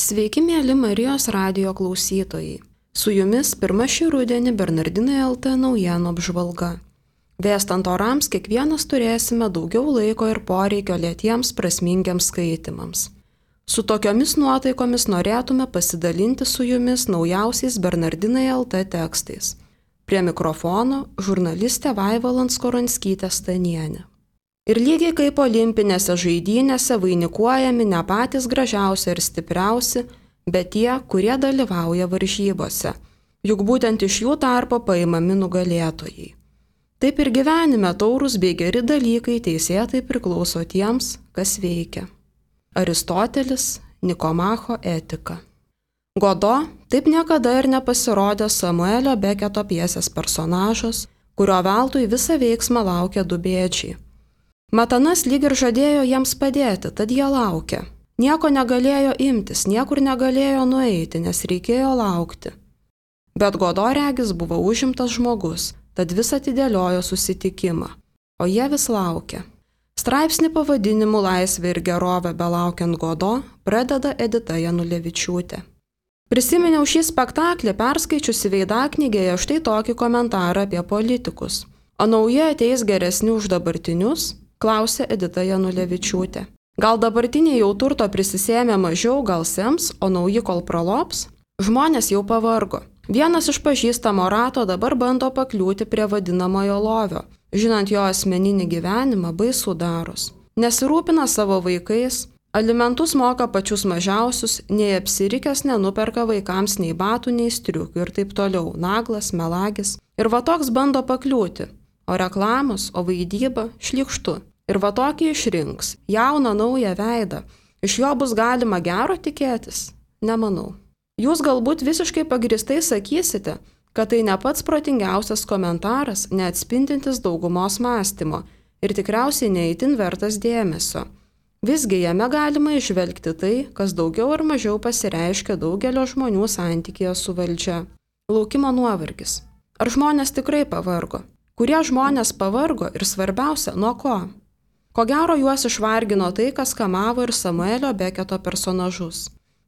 Sveiki, mėly Marijos radijo klausytojai. Su jumis pirmą šį rudenį Bernardinai LT naujienų apžvalga. Vėstant orams kiekvienas turėsime daugiau laiko ir poreikio lėtiems prasmingiams skaitimams. Su tokiomis nuotaikomis norėtume pasidalinti su jumis naujausiais Bernardinai LT tekstais. Prie mikrofono žurnalistė Vaiva Lanskoranskytė Stanienė. Ir lygiai kaip olimpinėse žaidynėse vainikuojami ne patys gražiausi ir stipriausi, bet tie, kurie dalyvauja varžybose. Juk būtent iš jų tarpo paimami nugalėtojai. Taip ir gyvenime taurūs bei geri dalykai teisėtai priklauso tiems, kas veikia. Aristotelis, Nikomacho etika. Godo taip niekada ir nepasirodė Samuelio Beketo pjesės personažas, kurio veltui visą veiksmą laukia du bėdžiai. Matanas lyg ir žadėjo jiems padėti, tad jie laukė. Nieko negalėjo imtis, niekur negalėjo nueiti, nes reikėjo laukti. Bet Godo regis buvo užimtas žmogus, tad vis atidėliojo susitikimą, o jie vis laukė. Straipsnį pavadinimu Laisvė ir gerovė belaukiant Godo pradeda Edita Janulevičiūtė. Prisiminiau šį spektaklį perskaičiusi Veidaknygėje štai tokį komentarą apie politikus. O nauji ateis geresni už dabartinius? Klausė Edita Janulevičiūtė. Gal dabartiniai jau turto prisisėmė mažiau, gal sems, o nauji kol pralops? Žmonės jau pavargo. Vienas iš pažįstamo rato dabar bando pakliūti prie vadinamojo lovio, žinant jo asmeninį gyvenimą baisų daros. Nesirūpina savo vaikais, alimentus moka pačius mažiausius, nei apsirikęs nenuperka vaikams nei batų, nei striukių ir taip toliau, naglas, melagis. Ir va toks bando pakliūti. O reklamos, o vaidyba šlykštu. Ir va tokį išrinks, jauną naują veidą. Iš jo bus galima gero tikėtis? Nemanau. Jūs galbūt visiškai pagristai sakysite, kad tai ne pats protingiausias komentaras, neatspindintis daugumos mąstymo ir tikriausiai neįtin vertas dėmesio. Visgi jame galima išvelgti tai, kas daugiau ar mažiau pasireiškia daugelio žmonių santykėje su valdžia. Laukimo nuovargis. Ar žmonės tikrai pavargo? Kurie žmonės pavargo ir svarbiausia, nuo ko? Ko gero juos išvargino tai, kas kamavo ir Samuelio Beketo personažus.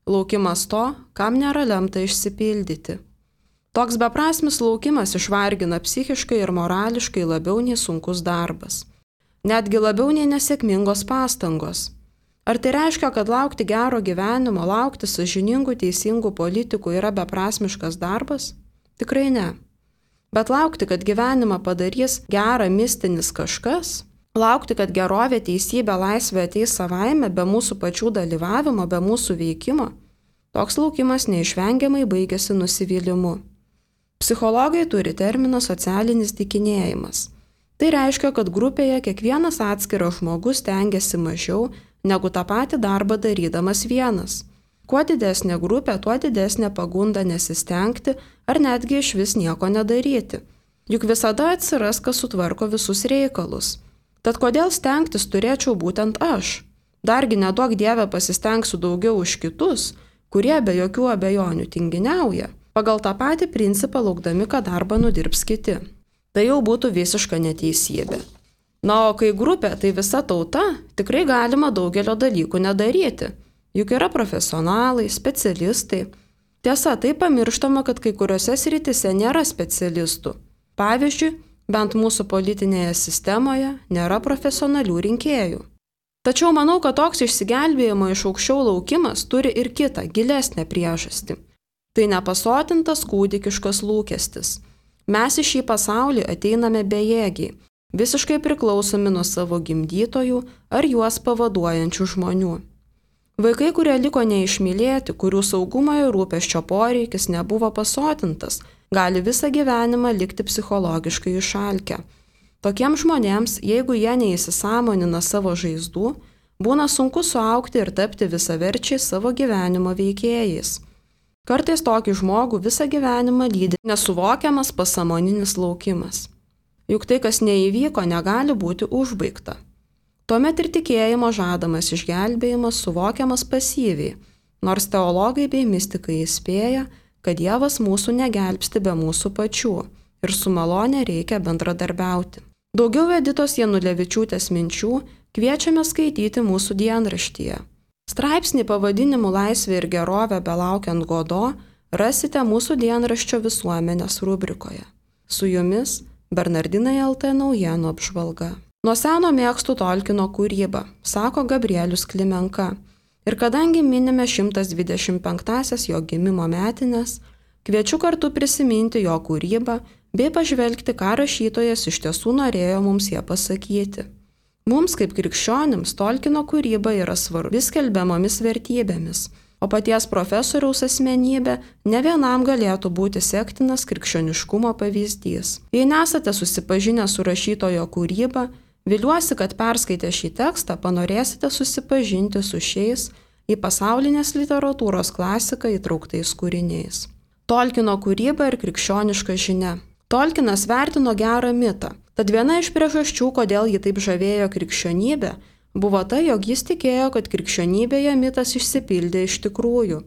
Laukimas to, kam nėra lemta išsipildyti. Toks beprasmis laukimas išvargina psichiškai ir morališkai labiau nei sunkus darbas. Netgi labiau nei nesėkmingos pastangos. Ar tai reiškia, kad laukti gero gyvenimo, laukti sąžiningų, teisingų politikų yra beprasmiškas darbas? Tikrai ne. Bet laukti, kad gyvenimą padarys gerą mistinis kažkas, laukti, kad gerovė, teisybė, laisvė ateis savaime, be mūsų pačių dalyvavimo, be mūsų veikimo, toks laukimas neišvengiamai baigėsi nusivylimu. Psichologai turi terminą socialinis dykinėjimas. Tai reiškia, kad grupėje kiekvienas atskiras žmogus stengiasi mažiau, negu tą patį darbą darydamas vienas. Kuo didesnė grupė, tuo didesnė pagunda nesistengti ar netgi iš vis nieko nedaryti. Juk visada atsiras, kas sutvarko visus reikalus. Tad kodėl stengtis turėčiau būtent aš? Dargi neduok Dieve pasistengsiu daugiau už kitus, kurie be jokių abejonių tinginiauja, pagal tą patį principą laukdami, kad darbą nudirbs kiti. Tai jau būtų visiška neteisybė. Na, o kai grupė, tai visa tauta, tikrai galima daugelio dalykų nedaryti. Juk yra profesionalai, specialistai. Tiesa, tai pamirštama, kad kai kuriuose srityse nėra specialistų. Pavyzdžiui, bent mūsų politinėje sistemoje nėra profesionalių rinkėjų. Tačiau manau, kad toks išsigelbėjimo iš aukščiau laukimas turi ir kitą, gilesnę priežastį. Tai nepasotintas kūdikiškas lūkestis. Mes į šį pasaulį ateiname bejėgiai, visiškai priklausomi nuo savo gimdytojų ar juos pavaduojančių žmonių. Vaikai, kurie liko neišmylėti, kurių saugumo ir rūpesčio poreikis nebuvo pasotintas, gali visą gyvenimą likti psichologiškai išalkę. Tokiems žmonėms, jeigu jie neįsisąmonina savo žaizdų, būna sunku suaugti ir tapti visaverčiais savo gyvenimo veikėjais. Kartais tokį žmogų visą gyvenimą lydi nesuvokiamas pasąmoninis laukimas. Juk tai, kas neįvyko, negali būti užbaigta. Tuomet ir tikėjimo žadamas išgelbėjimas suvokiamas pasyviai, nors teologai bei mistikai įspėja, kad Dievas mūsų negelbsti be mūsų pačių ir su malone reikia bendradarbiauti. Daugiau Editos Janulevičiūtės minčių kviečiame skaityti mūsų dienraštyje. Straipsnį pavadinimu Laisvė ir gerovė belaukiant Godo rasite mūsų dienraščio Visuomenės rubrikoje. Su jumis Bernardinai LT naujienų apžvalga. Nuo seno mėgstu Tolkino kūrybą, sako Gabrielius Klimenka. Ir kadangi minime 125-asias jo gimimo metines, kviečiu kartu prisiminti jo kūrybą bei pažvelgti, ką rašytojas iš tiesų norėjo mums ją pasakyti. Mums kaip krikščionims Tolkino kūryba yra svarbi skelbiamomis vertybėmis, o paties profesoriaus asmenybė ne vienam galėtų būti sektinas krikščioniškumo pavyzdys. Jei nesate susipažinę su rašytojo kūryba, viliuosi, kad perskaitę šį tekstą panorėsite susipažinti su šiais į pasaulinės literatūros klasiką įtrauktais kūriniais. Tolkino kūryba ir krikščioniška žinia. Tolkinas vertino gerą mitą, tad viena iš priežasčių, kodėl jį taip žavėjo krikščionybė, buvo tai, jog jis tikėjo, kad krikščionybėje mitas išsipildė iš tikrųjų.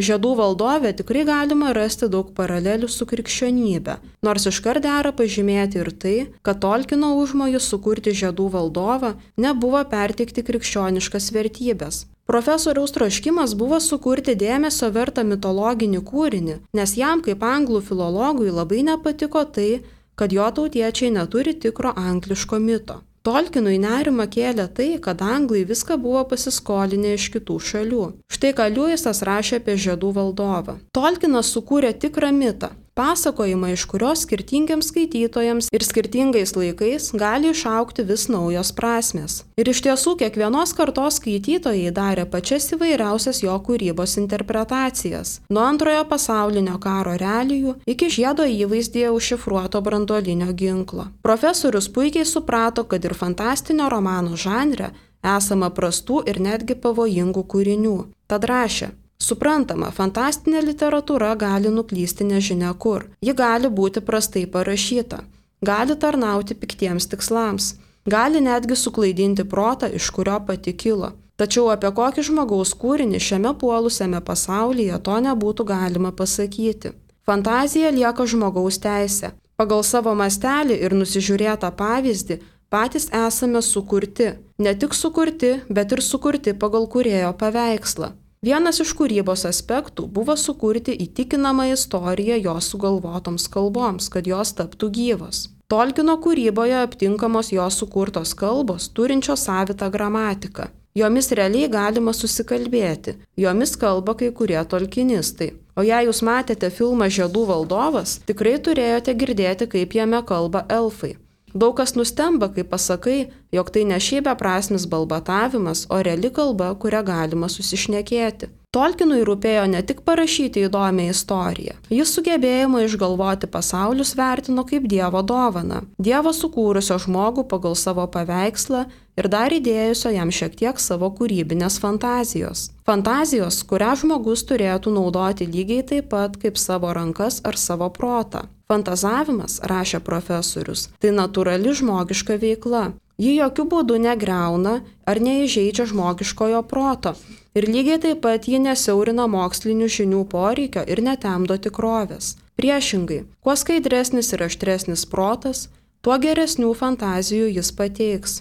Žiedų valdove tikrai galima rasti daug paralelių su krikščionybė, nors iškart dera pažymėti ir tai, kad Tolkino užmojus sukurti žiedų valdovą nebuvo perteikti krikščioniškas vertybės. Profesoriaus troškimas buvo sukurti dėmesio vertą mitologinį kūrinį, nes jam kaip anglų filologui labai nepatiko tai, kad jo tautiečiai neturi tikro angliško mito. Tolkinui nerimą kėlė tai, kad anglai viską buvo pasiskolinę iš kitų šalių. Štai ką Liujisas rašė apie žiedų valdovą. Tolkinas sukūrė tikrą mitą, pasakojimą, iš kurios skirtingiams skaitytojams ir skirtingais laikais gali išaugti vis naujos prasmės. Ir iš tiesų kiekvienos kartos skaitytojai darė pačias įvairiausias jo kūrybos interpretacijas, nuo Antrojo pasaulinio karo realijų iki žiedo įvaizdyje užšifruoto branduolinio ginklo. Profesorius puikiai suprato, kad ir fantastinio romano žanre esama prastų ir netgi pavojingų kūrinių. Tad rašė: suprantama, fantastinė literatūra gali nuklysti nežinia kur. Ji gali būti prastai parašyta, gali tarnauti piktiems tikslams, gali netgi suklaidinti protą, iš kurio pati kilo. Tačiau apie kokį žmogaus kūrinį šiame puolusiame pasaulyje to nebūtų galima pasakyti. Fantazija lieka žmogaus teisė. Pagal savo mastelį ir nusižiūrėtą pavyzdį patys esame sukurti. Ne tik sukurti, bet ir sukurti pagal kūrėjo paveikslą. Vienas iš kūrybos aspektų buvo sukurti įtikinamą istoriją jos sugalvotoms kalboms, kad jos taptų gyvos. Tolkino kūryboje aptinkamos jos sukurtos kalbos, turinčios savitą gramatiką. Jomis realiai galima susikalbėti, jomis kalba kai kurie tolkinistai. O jei jūs matėte filmą Žiedų valdovas, tikrai turėjote girdėti, kaip jame kalba elfai. Daug kas nustemba, kai pasakai, jog tai ne šiaip beprasmis balbatavimas, o reali kalba, kurią galima susišnekėti. Tolkinui rūpėjo ne tik parašyti įdomią istoriją. Jis sugebėjimą išgalvoti pasaulius vertino kaip Dievo dovaną. Dievo sukūrusio žmogų pagal savo paveikslą ir dar įdėjusio jam šiek tiek savo kūrybinės fantazijos. Fantazijos, kurią žmogus turėtų naudoti lygiai taip pat kaip savo rankas ar savo protą. Fantazavimas, rašė profesorius, tai natūrali žmogiška veikla. Ji jokių būdų negriauna ar neįžeidžia žmogiškojo proto. Ir lygiai taip pat ji nesiaurina mokslinių žinių poreikio ir netemdo tikrovės. Priešingai, kuo skaidresnis ir aštresnis protas, tuo geresnių fantazijų jis pateiks.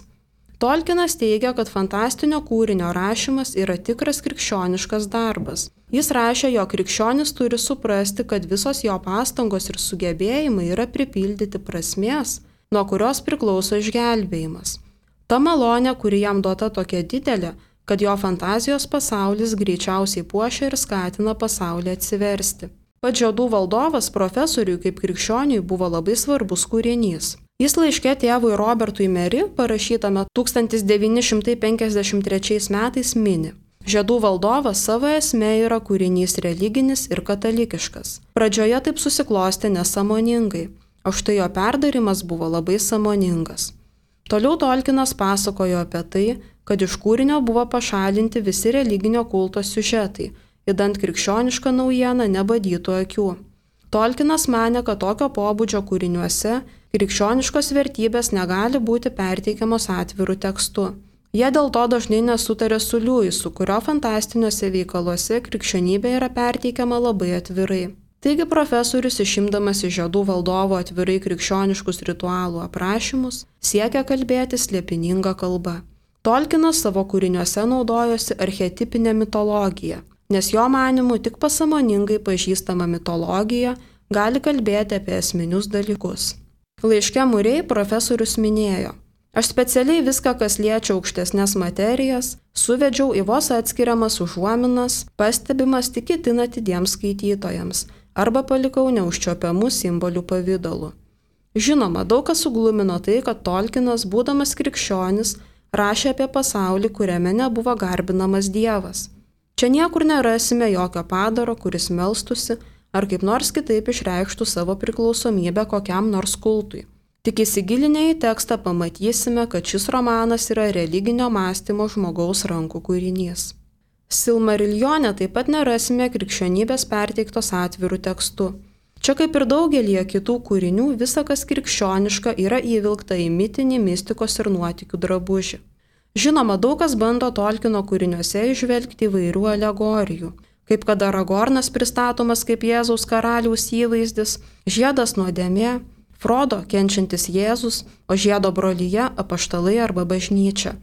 Tolkinas teigia, kad fantastinio kūrinio rašymas yra tikras krikščioniškas darbas. Jis rašė, jog krikščionis turi suprasti, kad visos jo pastangos ir sugebėjimai yra pripildyti prasmės, nuo kurios priklauso išgelbėjimas. Ta malonė, kuri jam duota tokia didelė, kad jo fantazijos pasaulis greičiausiai puošia ir skatina pasaulį atsiversti. Pats Žiedų valdovas profesoriui kaip krikščioniui buvo labai svarbus kūrinys. Jis laiške tėvui Robertui Meri, parašytame 1953 metais, mini: Žiedų valdovas savo esmė yra kūrinys religinis ir katalikiškas. Pradžioje taip susiklostė nesąmoningai, o štai jo perdarimas buvo labai sąmoningas. Toliau Tolkinas pasakojo apie tai, kad iš kūrinio buvo pašalinti visi religinio kulto siužetai, idant krikščioniška naujiena nebadytų akių. Tolkinas manė, kad tokio pobūdžio kūriniuose krikščioniškos vertybės negali būti perteikiamos atvirų tekstu. Jie dėl to dažnai nesutarė su Liujisu, kurio fantastiniuose veikaluose krikščionybė yra perteikiama labai atvirai. Taigi profesorius, išimdamas iš Žiedų valdovo atvirai krikščioniškus ritualų aprašymus, siekia kalbėti slėpininga kalba. Tolkinas savo kūriniuose naudojosi archetipinę mitologiją, nes jo manymu tik pasąmoningai pažįstama mitologija gali kalbėti apie esminius dalykus. Laiške Murray profesorius minėjo: aš specialiai viską, kas liečia aukštesnės materijas, suvedžiau į vos atskiriamas užuominas, pastebimas tik itin atidiems skaitytojams, arba palikau neužčiopiamų simbolių pavidalu. Žinoma, daug kas suglumino tai, kad Tolkinas, būdamas krikščionis, rašė apie pasaulį, kuriame nebuvo garbinamas Dievas. Čia niekur nerasime jokio padaro, kuris melstusi ar kaip nors kitaip išreikštų savo priklausomybę kokiam nors kultui. Tik įsigilinę į tekstą pamatysime, kad šis romanas yra religinio mąstymo žmogaus rankų kūrinys. Silmariljone taip pat nerasime krikščionybės perteiktos atvirų tekstu. Čia kaip ir daugelį kitų kūrinių, visa kas krikščioniška yra įvilkta į mitinį, mistikos ir nuotykių drabužį. Žinoma, daug kas bando Tolkino kūriniuose įžvelgti įvairių alegorijų, kaip kad Aragornas pristatomas kaip Jėzaus karaliaus įvaizdis, žiedas nuodėmė, Frodo kenčiantis Jėzus, o žiedo brolyje apaštalai arba bažnyčia.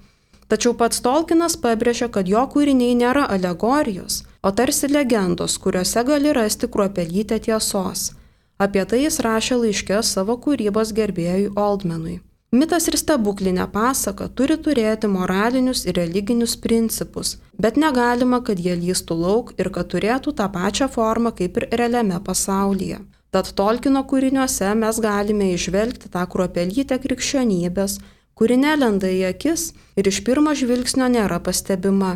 Tačiau pats Tolkinas pabrėžia, kad jo kūriniai nėra alegorijos, o tarsi legendos, kuriuose gali rasti kruopelytę tiesos. Apie tai jis rašė laiške savo kūrybos gerbėjui Oldmenui. Mitas ir stebuklinė pasaka turi turėti moralinius ir religinius principus, bet negalima, kad jie lįstų lauk ir kad turėtų tą pačią formą kaip ir realiame pasaulyje. Tad Tolkino kūriniuose mes galime įžvelgti tą kruopelytę krikščionybės, kuri nelenda į akis ir iš pirmo žvilgsnio nėra pastebima.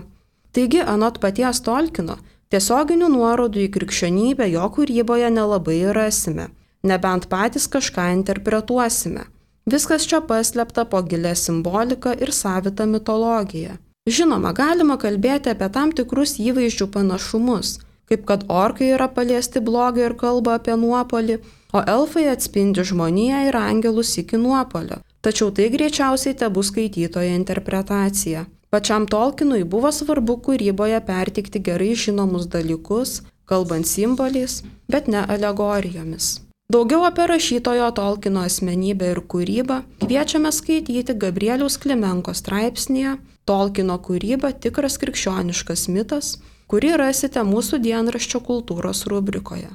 Taigi, anot paties Tolkino, tiesioginių nuorodų į krikščionybę jo kūryboje nelabai rasime, nebent patys kažką interpretuosime. Viskas čia paslėpta po gilę simboliką ir savitą mitologiją. Žinoma, galima kalbėti apie tam tikrus įvaizdžių panašumus, kaip kad orkai yra paliesti blogio ir kalba apie nuopolį, o elfai atspindi žmoniją ir angelus iki nuopolio. Tačiau tai greičiausiai tebus skaitytojo interpretacija. Pačiam Tolkinui buvo svarbu kūryboje perteikti gerai žinomus dalykus, kalbant simboliais, bet ne alegorijomis. Daugiau apie rašytojo Tolkino asmenybę ir kūrybą kviečiame skaityti Gabrieliaus Klimenko straipsnyje Tolkino kūryba – tikras krikščioniškas mitas, kurį rasite mūsų dienraščio kultūros rubrikoje.